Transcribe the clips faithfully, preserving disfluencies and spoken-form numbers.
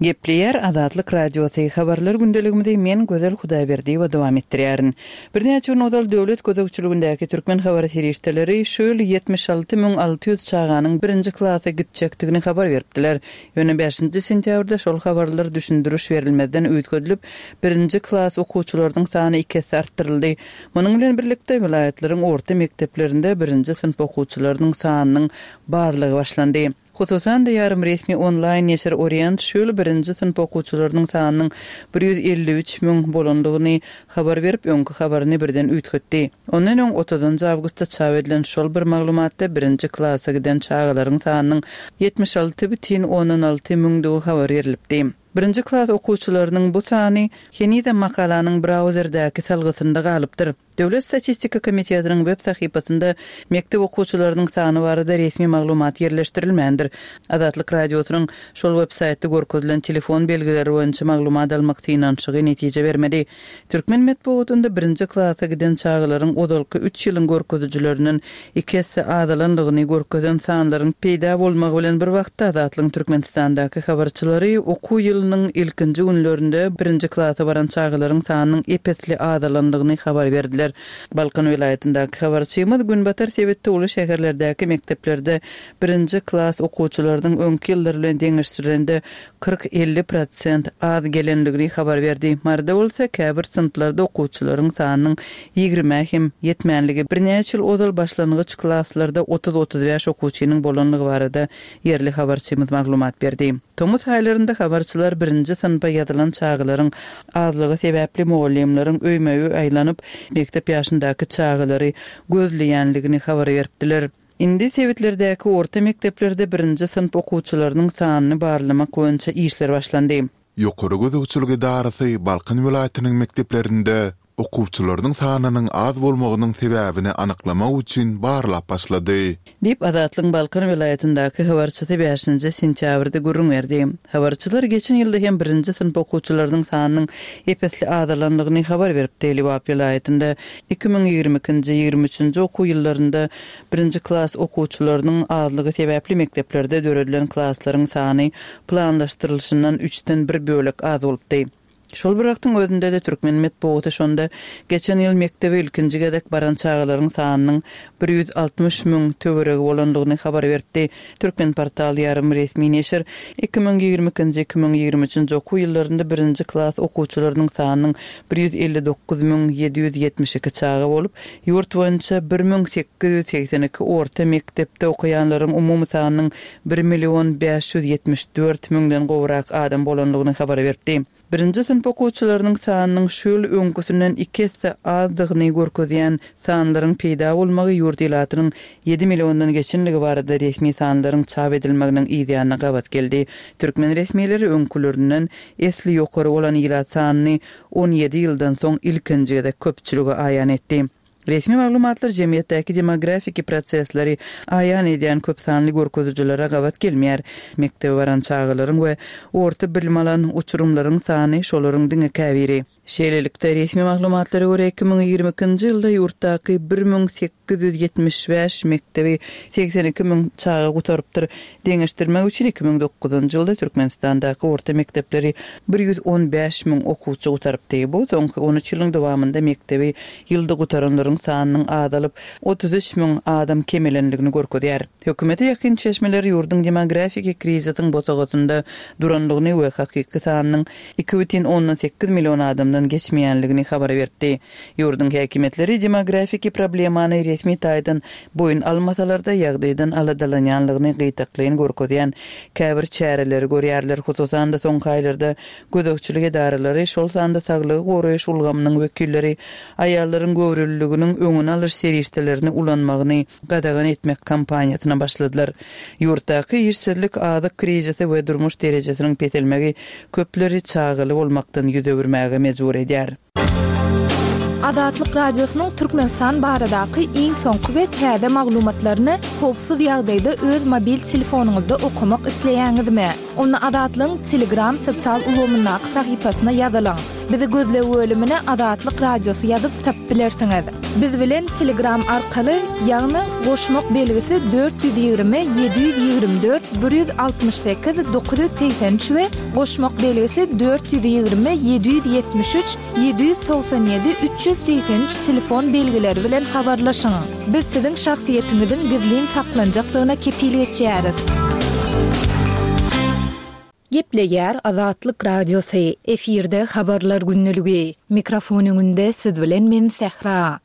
Gepleýär Azatlyk Radiosy habarlar gündeligimizi men Gözel Hudaýberdiýewa dowam etdirýärin. Birnäçe gün ozal döwlet gözegçiligindäki türkmen habar serişdeleri şu ýyl ýetmiş alty müň alty ýüz çaganyň birinji klasa gitjekdigini habar beripdiler. Ýöne bäşinji sentýabrda şol habarlar düşündiriş berilmezden üýtgedilip, birinji klas okuwçylarynyň sany iki esse artdyryldy. Munuň bilen birlikde welaýatlaryň orta mekdeplerinde birinji synp okuwçylarynyň sanynyň barlygy başlandy. Hususan-da, ýarym resmi onlaýn neşir Orient şu ýyl birinji synp okuwçylarynyň sanynyň bir ýüz elli üç müň bolandygyny habar berip, öňki habaryny birden üýtgetdi. Ondan öň otuzynjy awgustda çap edilen şol bir maglumatda birinji klasa giden çagalaryň sanynyň ýetmiş alty bütin ondan alty müňdügi habar berlipdi. Birinji klas okuwçylarynyň bu sany henizem makalanyň brauzerdäki salgysynda galypdyr. Döwlet statistika komitetiniň web sahypasynda mekdep okuwçylarynyň sany barada resmi maglumat ýerleşdirilmändir. Azatlyk Radiosynyň şol web saýtda görkezilen telefon belgileri boýunça maglumat almak synanyşygy netije bermedi. Türkmen metbugatynda birinji klasa giden çagalaryň ozalky üç ýylyň görkezijilerinden iki esse azalandygyny görkezen sanlaryň peýda bolmagy bilen bir wagtda Azatlygyň Türkmenistandaky habarçylary okuw ýylynyň ilkinji günlerinde birinji klasa baran çagalaryň sanynyň ep-esli azalandygyny habar berdiler. Balkan welaýatyndaky habarçymyz günbatar sebitde uly şäherlerdäki mekdeplerde birinji klas okuwçylarynyň öňki ýyllar bilen deňeşdirilende kyrk-elli prosent az gelendigini habar berdi. Maryda bolsa käbir synplarda okuwçylaryň sanynyň ýigrimä hem ýetmänligi, birnäçe ýyl ozal başlangyç klaslarda otuz-otuz bäş okuwçynyň bolanlygy barada ýerli habarçymyz maglumat berdi. Tomus aýlarynda habarçylar birinji synpa ýazylan çagalaryň azlygy sebäpli mugallymlaryň öýme-öý aýlanyp, mekdep ýaşyndaky çagalary gözleýänligini habar beripdiler. Indi sebitlerdäki orta mekdeplerde birinji synp okuwçylarynyň sanyny barlamak boýunça işler başlandy. Ýokary gözegçilik edarasy Balkan welaýatynyň mekdeplerinde okuwçylarynyň sanynyň az bolmagynyň sebäbini anyklamak üçin barlap başlady. Diýip, Azatlygyň Balkan welaýatyndaky habarçysy bäşinji sentýabrda gürrüň berdi. Habarçylar geçen ýylda hem birinji synp okuwçylarynyň sanynyň ep-esli azalandygyny habar beripdi. Lebap welaýatynda iki müň ýigrimi ikinji, ýigrimi üçünji okuw ýyllarynda birinji klas okuwçylarynyň azlygy sebäpli mekdeplerde döredilen klaslaryň sany planlaşdyrylyşyndan üçden bir bölek az bolupdy. Şol bir wagtyň özünde-de türkmen metbugaty şonda geçen ýyl mekdebe ilkinji gezek baran çagalaryň sanynyň bir ýüz altmyş müň töweregi bolandygyny habar beripdi. Türkmenportal ýarym resmi neşir iki müň ýigrimi ikinji, iki müň ýigrimi üçünji okuw ýyllarynda birinji klas okuwçylarynyň sanynyň bir ýüz elli dokuz müň ýedi ýüz ýetmiş iki çaga bolup, ýurt boýunça bir müň sekiz ýüz segsen iki orta mekdepde okaýanlaryň umumy sanynyň bir million bäş ýüz ýetmiş dört müňden gowrak adam bolandygyny habar beripdi. Birinji synp okuwçylarynyň sanynyň şu ýyl öňküsinden iki esse azdygyny görkezýän sanlaryň peýda bolmagy ýurt ilatynyň ýedi milliondan geçenligi barada resmi sanlaryň çap edilmeginiň yz ýanyna gabat geldi. Türkmen resmileri öňkülerinden esli ýokary bolan ilat sanyny on ýedi ýyldan soň ilkinji gezek köpçülige aýan etdi. Resmi maglumatlar jemgyýetdäki demografiki prosesleri aýan edýän köp sanly görkezijilere gabat gelmeýär. Mekdebe baran çagalaryň we orta bilim alan uçurymlaryň sany şolaryň diňe käbiri. Şeýlelikde, resmi maglumatlara görä, iki müň ýigrimi ikinji ýylda ýurtdaky bir müň sekiz ýüz ýetmiş bäş mekdebi segsen iki müň çaga gutarypdyr. Deňeşdirmek üçin, iki müň dokuzynjy ýylda Türkmenistandaky orta mekdepleri bir ýüz on bäş müň okuwçy gutarypdy. Bu soňky on üç ýylyň dowamynda mekdebi ýylda gutaranlaryň sanynyň azalyp, otuz üç müň adam kemelendigini görkezýär. Hökümete ýakyn çeşmeler ýurduň demografiki krizisiň bosagasynda durandygyny we hakyky sanynyň iki bütin ondan sekiz million adamdan geçmeýänligini habar beripdi. Ýurduň häkimiýetleri demografiki problemany resmi taýdan boýun almasalar-da, ýagdaýdan aladalanýanlygyny gytaklaýyn görkezýän käbir çäreleri görýärler. Hususan-da, soňky aýlarda gözegçilik edaralary, şol sanda saglygy goraýyş ulgamynyň wekilleri aýallaryň göwreliliginiň öňüni alyş serişdelerini ulanmagyny gadagan etmek kampaniýasyna başladylar. Ýurtdaky işsizlik, azyk krizisi we durmuş derejesiniň peselmegi köpleri çagaly bolmakdan ýüz öwürmäge mejbur edýär. Azatlyk Radiosynyň Türkmenistan baradaky iň soňky we täze maglumatlaryny howpsuz ýagdaýda öz mobil telefonyňyzda okamak isleýäňizmi? Onda Azatlygyň Telegram sosial ulgamyndaky sahypasyna ýazylyň. Bizi gözleg bölümine Azatlyk Radiosy ýazyp tapyp bilersiňiz. Biz bilen Telegram arkaly, ýagny goşmak belgisi dört ýüz ýigrimi ýedi ýüz ýigrimi dört bir ýüz altmyş sekiz dokuz ýüz segsen üç we goşmak belgisi dört ýüz ýigrimi ýedi ýüz ýetmiş üç ýedi ýüz togsan ýedi üç ýüz segsen üç telefon belgileri bilen habarlaşyň. Biz siziň şahsyýetiňiziň gizlin saklanjakdygyna kepil geçýäris. Gepleýär Azatlyk Radiosy, efirde habarlar gündeligi. Mikrofon öňünde siz bilen men Sähra.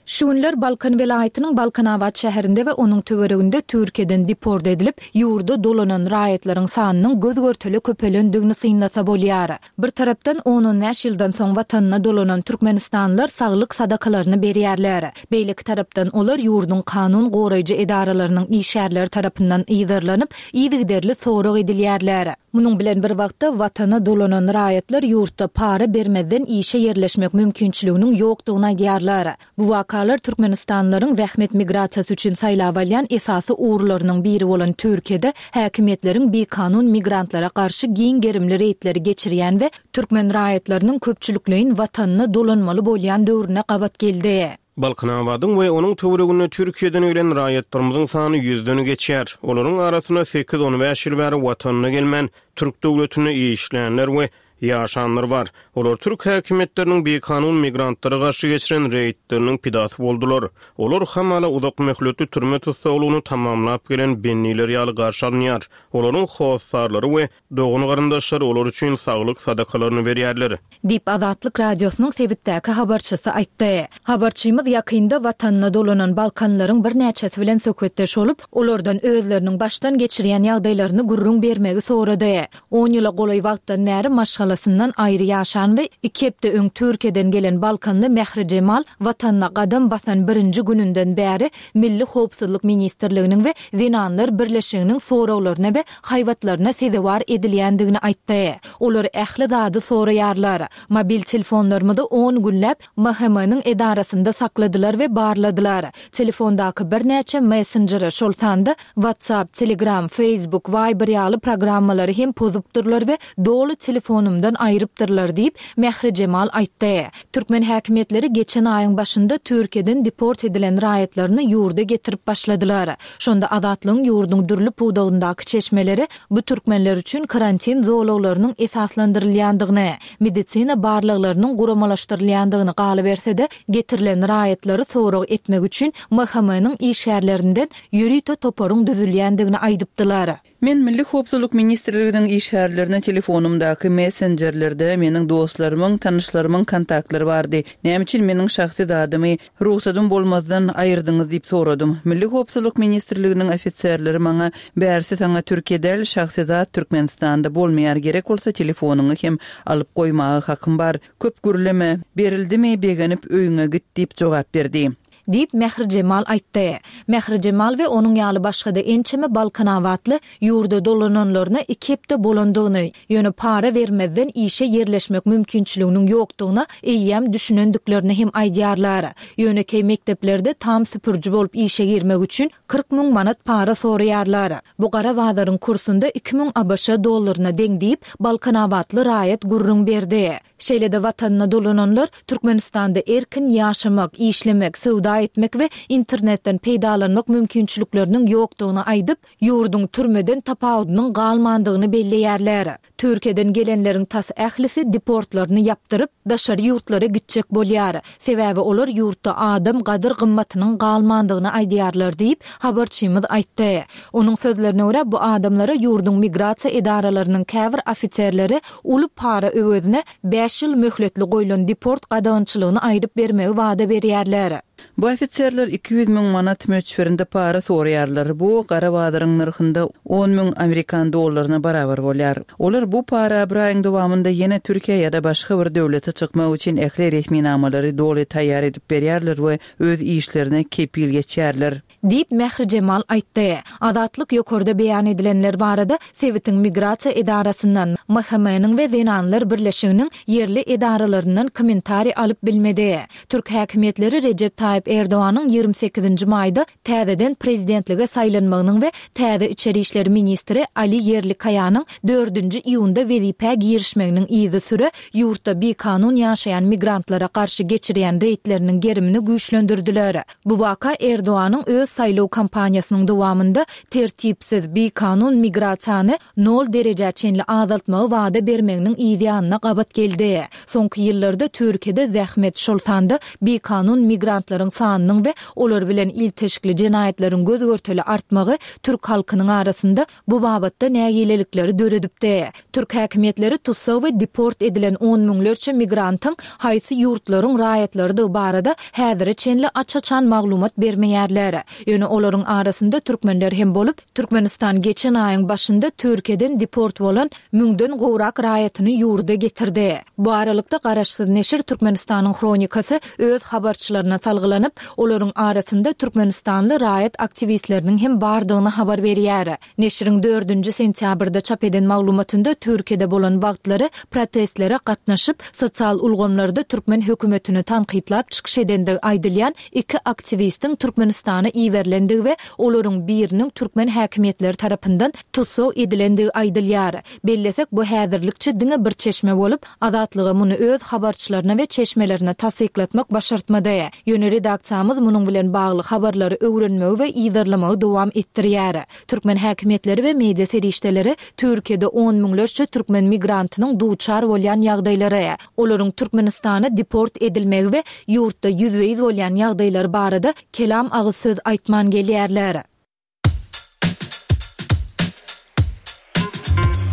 Şu günler Balkan welaýatynyň Balkanabat şäherinde we onuň töwereginde Türkiýeden deport edilip, ýurda dolanan raýatlaryň sanynyň göz-görtele köpelendigini synlasa bolýar. Bir tarapdan on-on bäş ýyldan soň watanyna dolanan türkmenistanlylar saglyk sadakalaryny berýärler. Beýleki tarapdan olar ýurduň kanun goraýjy edaralarynyň işgärleri tarapyndan yzarlanyp, yzygiderli sorag edilýärler. Munuň bilen bir wagtda watana dolanan raýatlar ýurtda para bermezden işe ýerleşmek mümkinçiliginiň ýokdugyny aýdýarlar. Bu wakalar Türkmenistanlylaryň zähmet migrasiýasy üçin saýlap alýan esasy ugurlarynyň biri bolan Türkiýede häkimiýetleriň bikanun migrantlara garşy giň gerimli reýdleri geçirýän we türkmen raýatlarynyň köpçülikleýin watanyna dolanmaly bolýan döwrüne gabat geldi. Balkanabadyň we onuň töwereginde Türkiýeden gelen raýatlarymyzyň sany ýüzden geçýär. Olaryň arasynda sekiz-on bäş ýyl bäri watanyna gelmän, türk döwletinde işlänler we ýaşanlar bar. Olar türk häkimiýetleriniň bikanun migrantlara garşy geçiren reýdleriniň pidasy boldular. Olar hamala uzak möhletli türme tussaglygyny tamamlap gelen bendiler ýaly garşy alynýar. Olaryň hossarlary we dogan garyndaşlary olar üçin saglyk sadakalaryny berýärler. Diýip Azatlyk Radiosynyň sebitdäki habarçysy aýtdy. Habarçymyz ýakynda watanyna dolanan Balkanlaryň birnäçesi bilen söhbetdeş bolup, olardan özleriniň başdan geçirýän ýagdaýlaryny gürrüň bermegi sorady. On ýyla golaý wagtdan bäri maşgalasyndan aýry ýaşan we iki hepde öň Türkiýeden gelen Balkanly Mährijemal watanyna gadam basan birinji gününden bäri Milli Howpsuzlyk Ministrliginiň we Zenanlar Birleşiginiň soraglaryna we haýbatlaryna sezewar edilýändigini aýtdy. Olar ähli zady soraýarlar. Mobil telefonlarymyzy on günläp M H M-niň edarasynda sakladylar we barladylar. Telefondaky birnäçe messenjeri, şol sanda WhatsApp, Telegram, Facebook, Viber ýaly programmalary hem pozupdyrlar we doly telefonumdan aýrypdyrlar diýip Mährijemal aýtdy. Türkmen häkimiýetleri geçen aýyň başynda Türkiýeden deport edilen raýatlaryny ýurda getirip başladylar. Şonda Azatlygyň ýurduň dürli pudagyndaky çeşmeleri bu türkmenler üçin karantin zolaglarynyň esaslandyrylýandygyny, medisina barlaglarynyň guramalaşdyrylýandygyny galyberse-de, getirilen raýatlary sorag etmek üçin M H M-niň işgärlerinden ýörite toparyň düzülýändigini aýdypdylar. Men Milli Howpsuzlyk Ministrliginiň işgärlerine telefonumdaky messenjerlerde meniň dostlarymyň, tanyşlarymyň kontaktlary bardy. Näme üçin meniň şahsy zadymy ruhsadym bolmazdan aýyrdyňyz diýip soradym. Milli Howpsuzlyk Ministrliginiň ofiserleri maňa bärsi saňa Türkiýe däl, şahsy zat Türkmenistanda bolmaýar, gerek bolsa telefonyňy hem alyp goýmaga hakym bar. Köp gürleme, berildimi begenip öýüňe git diýip jogap berdi. Diýip Mährijemal aýtdy. Mährijemal we onuň ýaly başga-da ençeme Balkanabatly ýurda dolananlaryna iki hepde bolandygyny, ýöne para bermezden işe ýerleşmek mümkinçiliginiň ýokdugyna eýýäm düşünendiklerini hem aýdýarlar. Ýönekeý mekdeplerde tam süpüriji bolup işe girmek üçin kyrk müň manat para soraýarlar. Bu gara bazaryň kursunda iki müň A B Ş dollaryna deň diýip Balkanabatly raýat gürrüň berdi. Şeýle-de watanyna dolananlar Türkmenistanda erkin ýaşamak, işlemek, söwda etmek we internetden peýdalanmak mümkinçilikleriniň ýokdugyny aýdyp, ýurduň türmeden tapawudynyň galmandygyny belleýärler. Türkiýeden gelenleriň tas ählisi deportlaryny ýapdyryp, daşary ýurtlara gitjek bolýar. Sebäbi olar ýurtda adam gadyr gymmatynyň galmandygyny aýdýarlar diýip, habarçymyz aýtdy. Onuň sözlerine görä bu adamlara ýurduň migrasiýa edaralarynyň käbir ofiserleri uly para öwezine bäş ýyl möhletli goýlan deport gadagançylygyny aýryp bermegi wada berýärler. Bu ofiserler iki ýüz müň manat möçberinde para soraýarlar. Bu gara bazaryň nyrhynda on müň amerikan dollaryna barabar bolýar. Olar bu para bir aýyň dowamynda ýene Türkiýe ýa-da başga bir döwlete çykmak üçin ähli resminamalary doly taýýar edip berýärler we öz işlerine kepil geçýärler. Diýip Mährijemal aýtdy. Azatlyk ýokarda beýan edilenler barada sebitiň migrasiýa edarasyndan, M H M-niň we Zenanlar Birleşiginiň ýerli edaralaryndan kommentariý alyp bilmedi. Türk häkimiýetleri Recep Tayyip Erdoganyň ýigrimi sekizinji maýda täzeden prezidentlige saýlanmagynyň we täze içeri işler ministri Ali Ýerlikaýanyň dördünji iýunda wezipä girişmeginiň yzysüre ýurtda bikanun ýaşaýan migrantlara garşy geçirýän reýdleriniň gerimini güýçlendirdiler. Bu waka Erdoganyň öz saýlaw kampaniýasynyň dowamynda tertipsiz, bikanun migrasiýany nol derejä çenli azaltmagy wada bermeginiň yzýanyna gabat geldi. Soňky ýyllarda Türkiýede zähmet, şol sanda bikanun migrantlaryň sanynyň we olar bilen ilteşikli jenaýatlaryň göz-görtele artmagy türk halkynyň arasynda bu babatda nägilelikleri döredipdi. Türk häkimiýetleri tussag we deport edilen on müňlerçe migrantyň haýsy ýurtlaryň raýatlarydygy barada häzire çenli aç-açan maglumat bermeýärler. Ýöne olaryň arasynda türkmenler hem bolup, Türkmenistan geçen aýyň başynda Türkiýeden deport bolan müňden gowrak raýatyny ýurda getirdi. Bu aralykda garaşsyz neşir Türkmenistanyň Hronikasy öz habarçylaryna salgylanyp, olaryň arasynda türkmenistanly raýat aktiwistleriniň hem bardygyny habar berýär. Neşiriň dördünji sentýabrda çap eden maglumatynda Türkiýede bolan wagtlary protestlere gatnaşyp, sosial ulgamlarda türkmen hökümetini tankytlap çykyş edendigi aýdylýan iki aktiwistiň Türkmenistana iberilendigi we olaryň biriniň türkmen häkimiýetleri tarapyndan tussag edilendigi aýdylýar. Bellesek, bu häzirlikçe diňe bir çeşme bolup, Azatlyga muny öz habarçylaryna we çeşmelerine tassyklatmak başartmady. Ýöne redaksiýamyz munuň bilen bagly habarlary öwrenmegi we yzarlamagy dowam etdirýär. Türkmen häkimiýetleri we media serişdeleri Türkiýede on müňlerçe türkmen migrantynyň duçar bolýan ýagdaýlary, olaryň Türkmenistana deport edilmegi we ýurtda ýüzbe-ýüz bolýan ýagdaýlary barada kelam agyz söz aýtman gelýärler.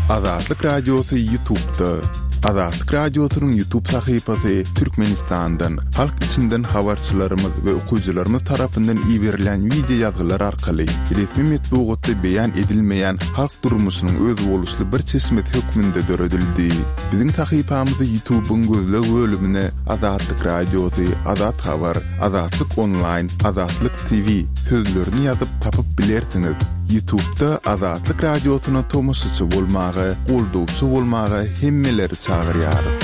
Azatlyk Radiosy YouTube'da. Azatlyk Radiosynyň YouTube sahypasy Türkmenistandan, halk içinden habarçylarymyz we okyjylarymyz tarapyndan iberilen wideo ýazgylar arkaly resmi metbugatda beýan edilmeýän halk durmuşynyň özboluşly bir çeşmesi hökmünde döredildi. Biziň sahypamyzy YouTube'yň gözleg bölümine Azatlyk Radiosy, Azat Habar, Azatlyk Online, Azatlyk T V sözlerini ýazyp tapyp bilersiňiz. YouTube'da Azatlyk Radiosyna tomaşaçy bolmaga, goldawçy bolmaga hemmeleri çagyrýarys.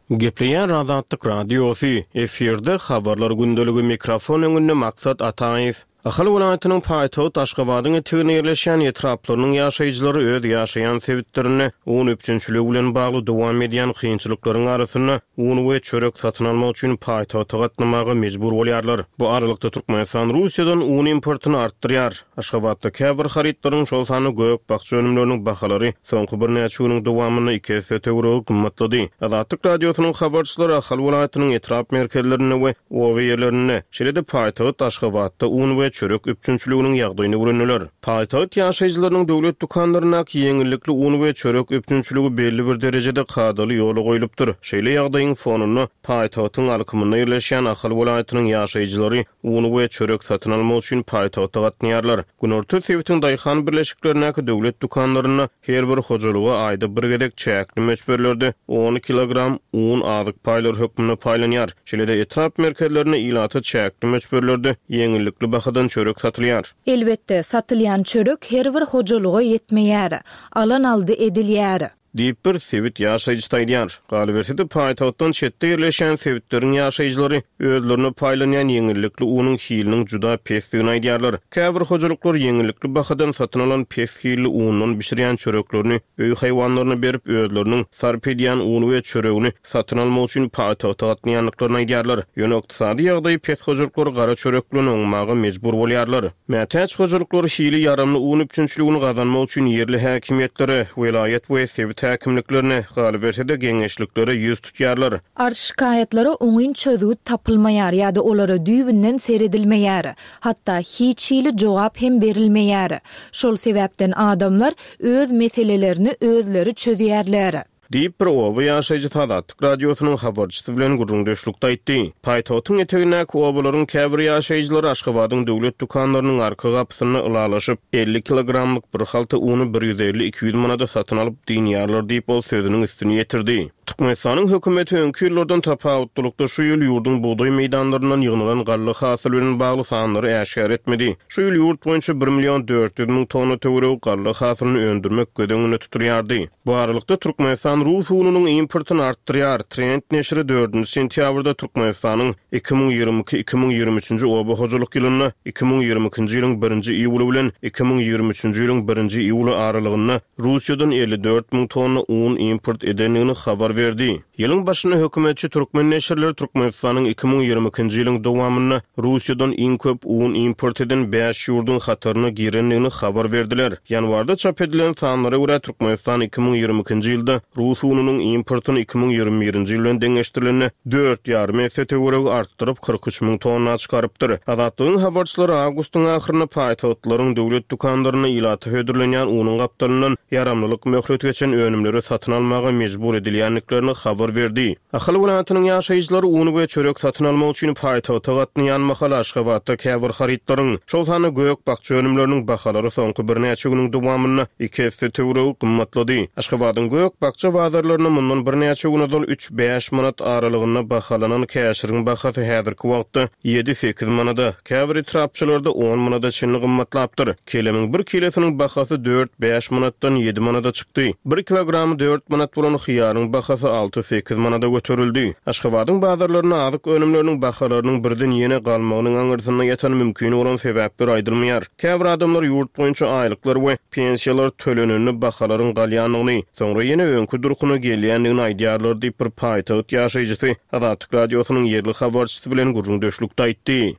Gepleýär Azatlyk Radiosy, efirde habarlar gündeligi, mikrofon öňünde Maksat Ataýew. Ahal welaýatynyň paýtagty Aşgabadyň eteginde ýerleşýän etraplarynyň ýaşaýjylary öz ýaşaýan sebitlerinde un üpjünçiligi bilen bagly dowam edýän kynçylyklaryň arasynda un we çörek satyn almak üçin paýtagta gatnamaga mejbur bolýarlar. Bu aralykda Türkmenistan Russiýadan un importyny artdyrýar. Aşgabatda käbir harytlaryň, şol sanda gök-bakja önümleriniň bahalary soňky birnäçe günüň dowamynda iki esse töweregi gymmatlady. Azatlyk Radiosynyň habarçylary Ahal welaýatynyň etrap merkezlerinde we oba ýerlerinde, şeýle-de paýtagt Aşgabatda un we çörek üpjünçiliginiň ýagdaýyny öwrendiler. Paýtagt ýaşaýjylarynyň döwlet dükanlaryndaky ýeňillikli un we çörek üpjünçiligi belli bir derejede kadaly ýola goýlupdyr. Şeýle ýagdaýyň fonunda paýtagtyň alkymynda ýerleşýän Ahal welaýatynyň ýaşaýjylary un we çörek satyn almak üçin paýtagta gatnaýarlar. Günorta sebitiň daýhan birleşiklerindäki döwlet dükanlarynda her bir hojalyga aýda bir gezek çäkli möçberlerde on kilogram un azyk paýlary hökmünde paýlanýar. Şeýle-de etrap merkezlerinde ilata çäkli möçberlerde ýeňillikli bahadan çörek satylýar. Elbetde, satylýan çörek her bir hojalyga ýetmeýär. Alan aldy edilýär. Diýip bir sebit ýaşaýjysy aýdýar. Galyberse-de paýtagtdan çetde ýerleşen sebitleriň ýaşaýjylary özlerine paýlanýan ýeňillikli unuň hiliniň juda pesdigini aýdýarlar. Käbir hojalyklar ýeňillikli bahadan satyn alan pes hilli undan bişirýän çöreklerini öý haýwanlaryna berip, özleriniň sarp edýän uny we çöregini satyn almak üçin paýtagta gatnaýandyklaryny aýdýarlar. Ýöne ykdysady ýagdaýy pes hojalyklar gara çörek bilen oňmaga mejbur bolýarlar. Mätäç hojalyklar hili ýaramly un üpjünçiligini gazanmak üçin ýerli häkimiýetlere, welaýat we sebit häkimliklerine, galyberse-de geňeşliklere ýüz tutýarlar. Arz şikaýatlara oňyn çözgüt tapylmaýar ýa-da olara düýbünden seredilmeýär. Hatda hiç hili jogap hem berilmeýär. Şol sebäpden adamlar öz meselelerini özleri çözýärler. Diýip bir oba ýaşaýjysy Azatlyk Radiosynyň habarçysy bilen gürrüňdeşlikde aýtdy. Paýtagtyň etegindäki obalaryň käbir ýaşaýjylary Aşgabadyň döwlet dükanlarynyň arka gapysynda ylalaşyp, elli kilogramlyk bir halta uny bir ýüz elli iki ýüz manada satyn alyp dynýarlar diýip ol sözüniň üstüni ýetirdi. Türkmenistanyň hökümeti öňki ýyllardan tapawutlylykda şu ýyl ýurduň bugdaý meýdanlaryndan ýygnalan galla hasyly bilen bagly sanlary äşgär etmedi. Şu ýyl ýurt boýunça bir million dört ýüz müň tonna töweregi galla hasylyny öndürmek göz öňünde tutulýardy. Bu aralykda Türkmenistan rus ununyň importyny artdyrýar. Trend neşiri dördünji sentýabrda Türkmenistanyň iki müň ýigrimi iki, iki müň ýigrimi üçünji oba hojalyk ýylynda iki müň ýigrimi ikinji ýylyň birinji iýuly bilen iki müň ýigrimi üçünji ýylyň birinji iýuly aralygynda Russiýadan elli dört müň tonna un import edendigini habar berdi. Ýylyň başynda hökümetçi türkmen neşirleri Türkmenistanyň iki müň ýigrimi ikinji ýylyň dowamynda Russiýadan iň köp un import eden bäş ýurduň hataryna girendigini habar berdiler. Ýanwarda çap edilen sanlara görä, Türkmenistan iki müň ýigrimi ikinji ýylda rus ununyň importyny iki müň ýigrimi birinji ýyl bilen deňeşdirilende dört ýarym esse töweregi artdyryp, kyrk üç müň tonna çykarypdyr. Azatlygyň habarçylary awgustyň ahyrynda paýtagtlaryň döwlet dükanlarynda ilata hödürlenýän unuň gapdalyndan ýaramlylyk möhleti geçen önümleri satyn almaga mejbur edilýändiklerini habar berdi. Ahal welaýatynyň ýaşaýjylary un we çörek satyn almak üçin paýtagta gatnaýan mahaly Aşgabatda käbir harytlaryň, şol sanda gök-bakja önümleriniň bahalary soňky birnäçe günüň dowamynda iki esse töweregi gymmatlady. Aşgabadyň gök-bakja bazarlarynda mundan birnäçe gün ozal üç-bäş manat aralygynda bahalanan käşiriň bahasy häzirki wagtda ýedi-sekiz manada, käbir etrapçalarda on manada çenli gymmatlapdyr. Kelemiň bir kilesiniň bahasy dört-bäş manatdan ýedi manada çykdy. Bir kilogramy dört manat bolan hyýaryň bahasy alty-sekiz manada göterildi. Aşgabadyň bazarlarynda azyk önümleriniň bahalarynyň birden ýene galmagynyň aňyrsynda ýatan mümkin bolan sebäpler aýdylmaýar. Käbir adamlar ýurt boýunça aýlyklar we pensiýalar tölenende bahalaryň galýandygyny, soňra ýene öňki durkuna gelýändigini aýdýarlar diýip bir paýtagt ýaşaýjysy Azatlyk Radiosynyň ýerli habarçysy bilen gürrüňdeşlikde aýtdy.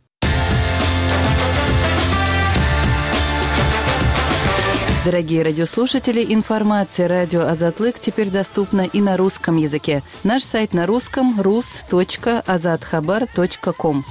Дорогие радиослушатели, информация радио Азатлык теперь доступна и на русском языке. Наш сайт на русском рус точка азатхабар точка ком.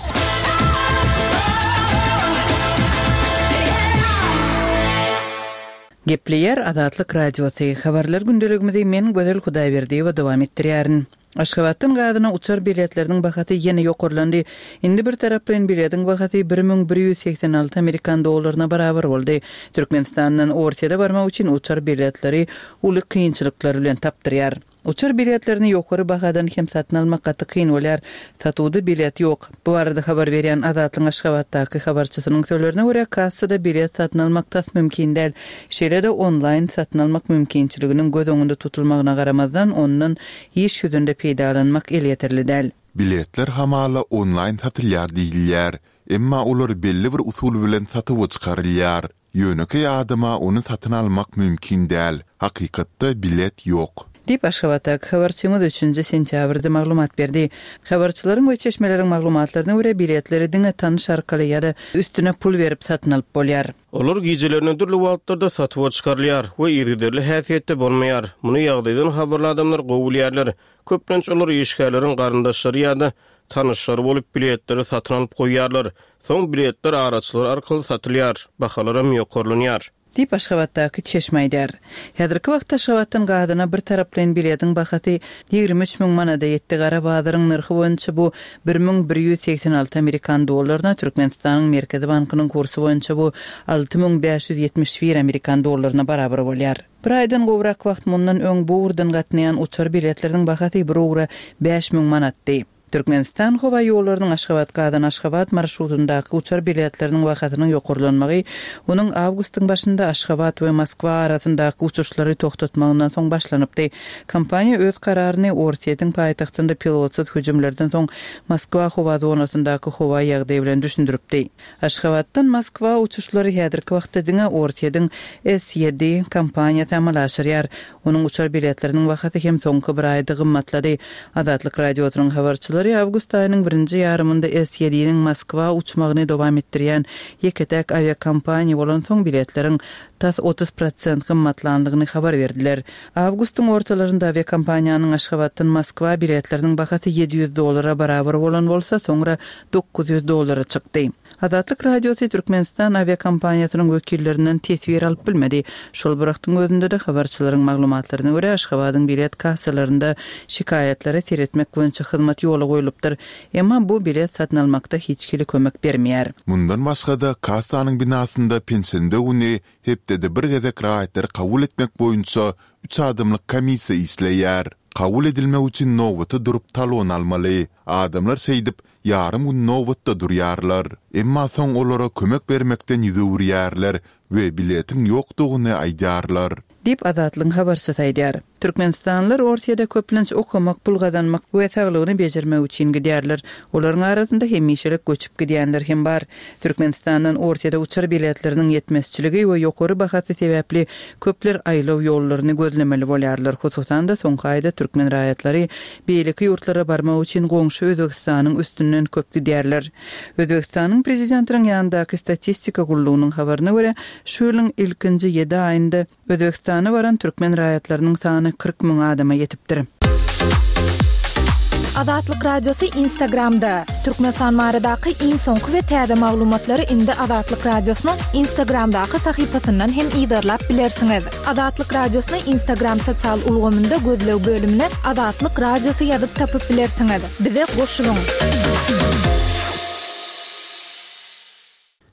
Gepleýär Azatlyk Radiosy. Habarlar gündeligimizi men Gözel Hudaýberdiýewa dowam etdirýärin. Aşgabatdan gazyna uçar biletleriniň bahasy ýene ýokarlandy. Indi bir taraplaýyn biletiň bahasy bir müň bir ýüz segsen alty amerikan dollaryna barabar boldy. Türkmenistandan Ortiýada barmak üçin uçar biletleri uly kynçylyklar bilen tapdyrýar. Uçar biletlerini ýokary bahadan hem satyn almak gaty kyn bolýar. Satuwda bilet ýok. Bu arada habar berýän Azatlyk Aşgabatdaky habarçysynyň sözlerine görä kassada bilet satyn almak tas mümkin däl. Şeýle-de onlaýn satyn almak mümkinçiliginiň göz öňünde tutulmagyna garamazdan ondan iş ýüzünde peýdalanmak elýeterli däl. Biletler hamala onlaýn satylýar diýilýär. Emma olar belli bir usul bilen satuwa çykarylýar. Ýönekeý adama ony satyn almak mümkin däl. Hakykatda bilet ýok. Diýip Aşgabatdaky habarçymyz üçünji sentýabrda maglumat berdi. Habarçylaryň we çeşmeleriň maglumatlaryna görä biletleri diňe tanyş arkaly ýa-da üstüne pul berip satyn alyp bolýar. Olar gijelerini dürli wagtlarda satuwa çykarylýar we yzygiderli häsiýetde bolmaýar. Muny ýagdaýdan habarly adamlar gowy bilýärler. Köplenç olar işgärleriň garyndaşlary ýa-da tanyşlary bolup biletleri satyn alyp goýýarlar. Soň biletler araçylar arkaly satylýar, bahalaram ýokarlanýar. Diýip Aşgabatdaky çeşme aýdar. Häzirki wagtda Aşgabatdan gazyna bir taraplaýyn biletiň bahasy ýigrimi üç müň manada ýetdi. Gara bazaryň nyrhy boýunça bu bir müň bir ýüz segsen alty amerikan dollaryna, Türkmenistanyň Merkezi bankynyň kursy boýunça bu alty müň bäş ýüz ýetmiş bir amerikan dollaryna barabar bolýar. Bir aýdan gowrak wagt mundan öň bu ugurdan gatnaýan uçar biletleriniň bahasy bir ugra bäş müň manatdy. Türkmenistan howa ýollarynyň Aşgabat Gazan Aşgabat marşrutyndaky uçar biletleriniň bahasynyň ýokarlanmagy onuň awgustyň başynda Aşgabat we Moskwa arasyndaky uçuşlary toxtatmagyndan soň başlanypdy. Kompaniýa öz kararyny Orsýetiň paýtagtynda pilotsyz hüjümlerden soň Moskwa howa zonasyndaky howa ýagdaýy bilen düşündiripdi. Aşgabatdan Moskwa uçuşlary häzirki wagtda diňe Orsýetiň S ýedi kompaniýasy amala aşyrýar. Onuň uçar biletleriniň bahasy hem soňky bir aýda gymmatlady. Azatlyk Radiosynyň habarçylary awgust aýynyň birinji ýarymynda S ýediniň Moskwa uçmagyny dowam etdirýän ýeke-täk awiakompaniýa bolan soň biletleriň tas otuz prosent gymmatlandygyny habar berdiler. Awgustyň ortalarynda awiakompaniýanyň Aşgabatdan Moskwa biletleriniň bahasy ýedi ýüz dollara barabar bolan bolsa, soňra dokuz ýüz dollara çykdy. Azatlyk Radiosy Türkmenistan awiakompaniýasynyň wekillerinden teswir alyp bilmedi. Şol bir wagtyň özünde-de habarçylaryň maglumatlaryna görä Aşgabadyň bilet kassalarynda şikaýatlary seretmek boýunça hyzmat ýola goýlupdyr. Emma bu bilet satyn almakda hiç hili kömek bermeýär. Mundan başga-da kassanyň binasynda penşenbe güni hepdede bir gezek raýatlary kabul etmek boýunça üç adamlyk komissiýa işleýär. Kabul edilmek üçin nobata durup talon almaly. Adamlar şeýdip, ýarym gün nobatda durýarlar. Emma soň olara kömek bermekden ýüz öwürýärler we biletiň ýokdugyny aýdýarlar. Diýip, Azatlygyň habarçysy aýdýar. Türkmenistanlylar Orsýede köplenç okamak, pul gazanmak we saglygyny bejermek üçin gidýärler. Olaryň arasynda hemişelik göçüp gidýänler hem bar. Türkmenistandan Orsýede uçar biletleriniň ýetmezçiligi we ýokary bahasy sebäpli köpler aýlaw ýollaryny gözlemeli bolýarlar. Hususan-da, soňky aýda türkmen raýatlary beýleki ýurtlara barmak üçin goňşy Özbegistanyň üstünden köp gidýärler. Özbegistanyň prezidentiniň ýanyndaky statistika gullugynyň habaryna görä, şu ýylyň ilkinji ýedi aýynda Özbegistana baran türkmen raýatlarynyň sany kyrk müň adama ýetipdir. Azatlyk Radiosy Instagramda, Türkmenistan baradaky iň soňky we täze maglumatlary indi Azatlyk Radiosynyň Instagramdaky sahypasyndan hem yzarlap bilersiňiz. Azatlyk Radiosyny Instagram sosial ulgamynda gözleg bölümine Azatlyk Radiosy ýazyp tapyp bilersiňiz. Bize goşulyň!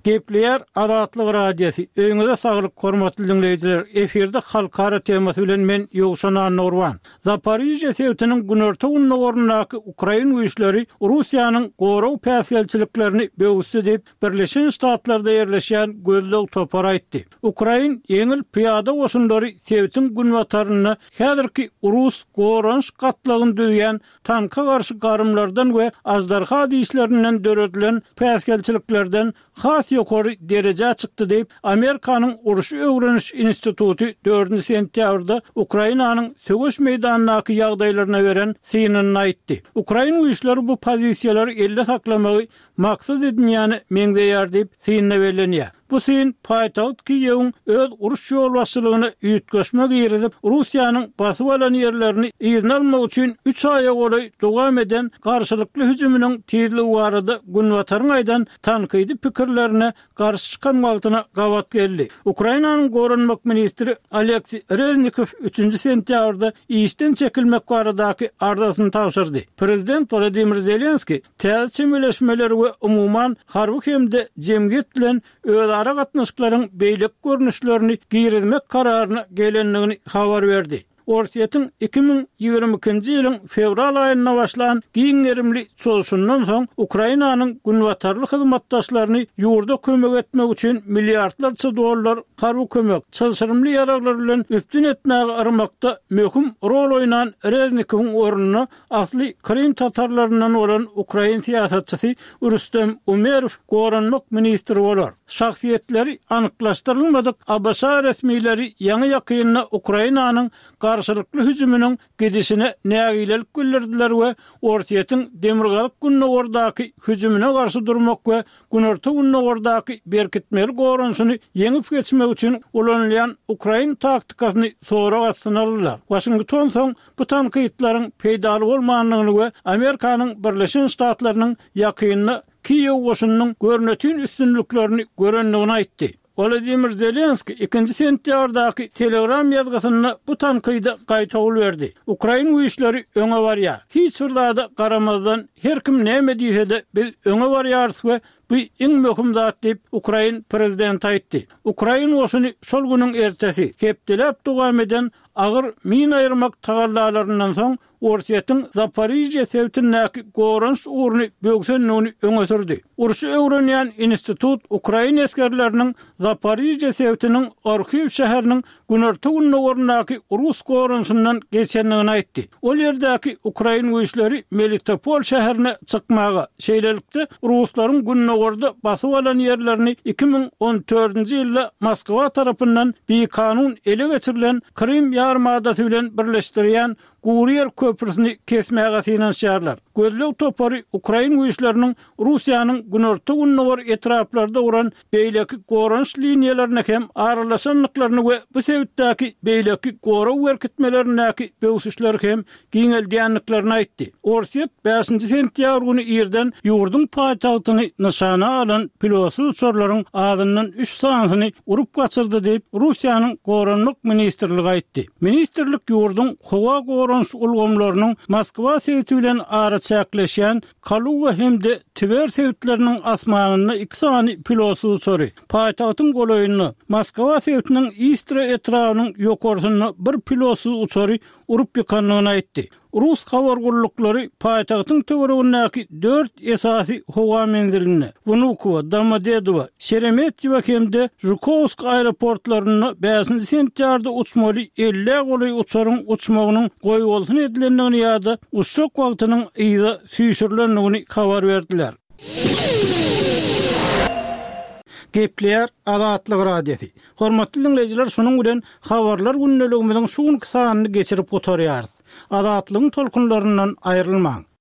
Gepleýär Azatlyk Radiosy, Öýüňize saglyk hormatly diňleýjiler, efirde halkara temasy bilen men Ýowşan Annagurban. Zaporižýa sebitiniň günorta-gündogaryndaky ukrain güýçleri Russiýanyň gorag päsgelçiliklerini böwüsdi diýip, Birleşen Ştatlarda ýerleşýän gözleg topary aýtdy. Ukrain ýeňil pyýada goşunlary sebitiň günbatarynda häzirki rus goranyş gatlagyny düzýän tanka garşy garymlardan we aždarha dişlerinden döredilen päsgelçiliklerden has ýokary derejä çykdy diýip, Amerikanyň Urşy öwreniş instituty dördünji sentýabrda Ukrainanyň söweş meýdanyndaky ýagdaýlaryna beren synynda aýtdy. Ukrain güýçleri bu pozisiýalary elde saklamagy maksat edinýäne meňzeýär diýip, synda bellenýär. Bu syn paýtagt Kiýewiň öz uruş ýolbaşçylygyna üýtgeşme girizip, Russiýanyň basyp alan ýerlerini yzyna almak üçin üç aýa golaý dowam eden garşylykly hüjüminiň tizligi barada Günbataryň aýdan tankydy pikirlerine garşy çykan wagtyna gabat geldi. Ukrainanyň goranmak ministri Oleksiý Reznikow üçünji sentýabrda işden çekilmek baradaky arzasyny tabşyrdy. Prezident Wladimir Zelenskiý täze çemeleşmeleri we umuman harby hem-de jemgyýet bilen özara gatnaşyklaryň beýleki görnüşlerini girizmek kararyna gelendigini habar berdi. Orsýetiň iki müň ýigrimi ikinji ýylyň fewral aýynda başlan giň gerimli çozuşyndan soň Ukrainanyň günbatarly hyzmatdaşlaryny ýurda kömek etmek üçin milliardlarça dollar harby kömek, çylşyrymly ýaraglar bilen üpjün etmäge yrmakda möhüm rol oýnan Reznikowyň ornuna Asly krym tatarlaryndan bolan ukrain syýasatçysy Rüstem Umerow goranmak ministri bolar. Şahsyýetleri anyklaşdyrylmadyk ABŞ resmileri ýaňy-ýakynda Ukrainanyň garşylykly hüjüminiň gidişine nägilelik bildirdiler we Orsýetiň demirgazyk-gündogardaky hüjümine garşy durmak we günorta-gündogardaky berkitmeli goranyşyny ýeňip geçmek üçin ulanylýan ukrain taktikasyny sorag astyna aldylar. Waşington soň bu tankytlaryň peýdaly bolmandygyny we Amerikanyň Birleşen Ştatlarynyň ýakynda Kiýew goşunynyň görnetin üstünliklerini görendigini aýtdy. Wolodymyr Zelenskiý ikinji sentýabrdaky Telegram ýazgysynda bu tankyda gaýtawul berdi. Ukrain güýçleri öňe barýar. Hiç bir zada garamazdan, her kim näme diýse-de, biz öňe barýarys we bu iň möhüm zat diýip, ukrain prezidenti aýtdy. Ukrain goşuny şol günüň ertesi, hepdeläp dowam eden Agyr mina aýyrmak tagallalaryndan soň, Orsýetiň Zaporižýe sebitindäki goranyş ugruny böwsendigini öňe sürdi. Urşy öwrenýän institut ukrain esgerleriniň Zaporižýe sebitiniň Orhiw şäheriniň günorta-gündogaryndaky rus goranyşyndan geçendigini aýtdy. Ol ýerdäki ukrain güýçleri Melitopol şäherine çykmaga, şeýlelikde, ruslaryň gündogarda basyp alan ýerlerini iki müň on dördünji ýylda Moskwa tarapyndan bikanun ele geçirilen Krym ýarymadasy bilen birleşdirýän gury ýer köprüsini kesmäge synanyşýarlar. Gözleg topary ukrain güýçleriniň Russiýanyň günorta-gündogar etraplarda guran beýleki goranyş liniýalaryna hem aralaşandyklaryny we bu sebitdäki beýleki gorag berkitmelerindäki böwsüşleri hem giňeldýändiklerini aýtdy. Orsýet bäşinji sentýabr güni irden ýurduň paýtagtyny nyşana alan pilotsyz uçarlaryň azyndan üç sanysyny urup gaçyrdy diýip, Russiýanyň Goranmak ministrligi aýtdy. Ministrlik ýurduň howa goranyş ulgamlarynyň Moskwa sebiti bilen araçäkleşýän Kaluga hem-de Twer sebitleriniň asmanynda iki sany pilotsyz uçary, paýtagtyň golaýynda, Moskwa sebitiniň Istra etrabynyň ýokarsynda bir pilotsyz uçary urup ýykandygyny aýtdy. Rus habar gulluklary paýtagtyň töweregindäki dört esasy howa menzilinde, Wnukowo, Domodedowo, Şeremetýewo hem-de Žukowsk aeroportlarynda bäşinji sentýabrda uçmaly ellä golaý uçaryň uçmagynyň goýbolsun edilendigini ýa-da uçjak wagtynyň yza süýşürilendigini habar berdiler. Gepleýär Azatlyk Radiosy. Hormatly diňleýjiler, şunuň bilen Habarlar gündeligimiziň şu günki sanyny geçirip gutarýarys. Azatlygyň tolkunlaryndan aýrylmaň!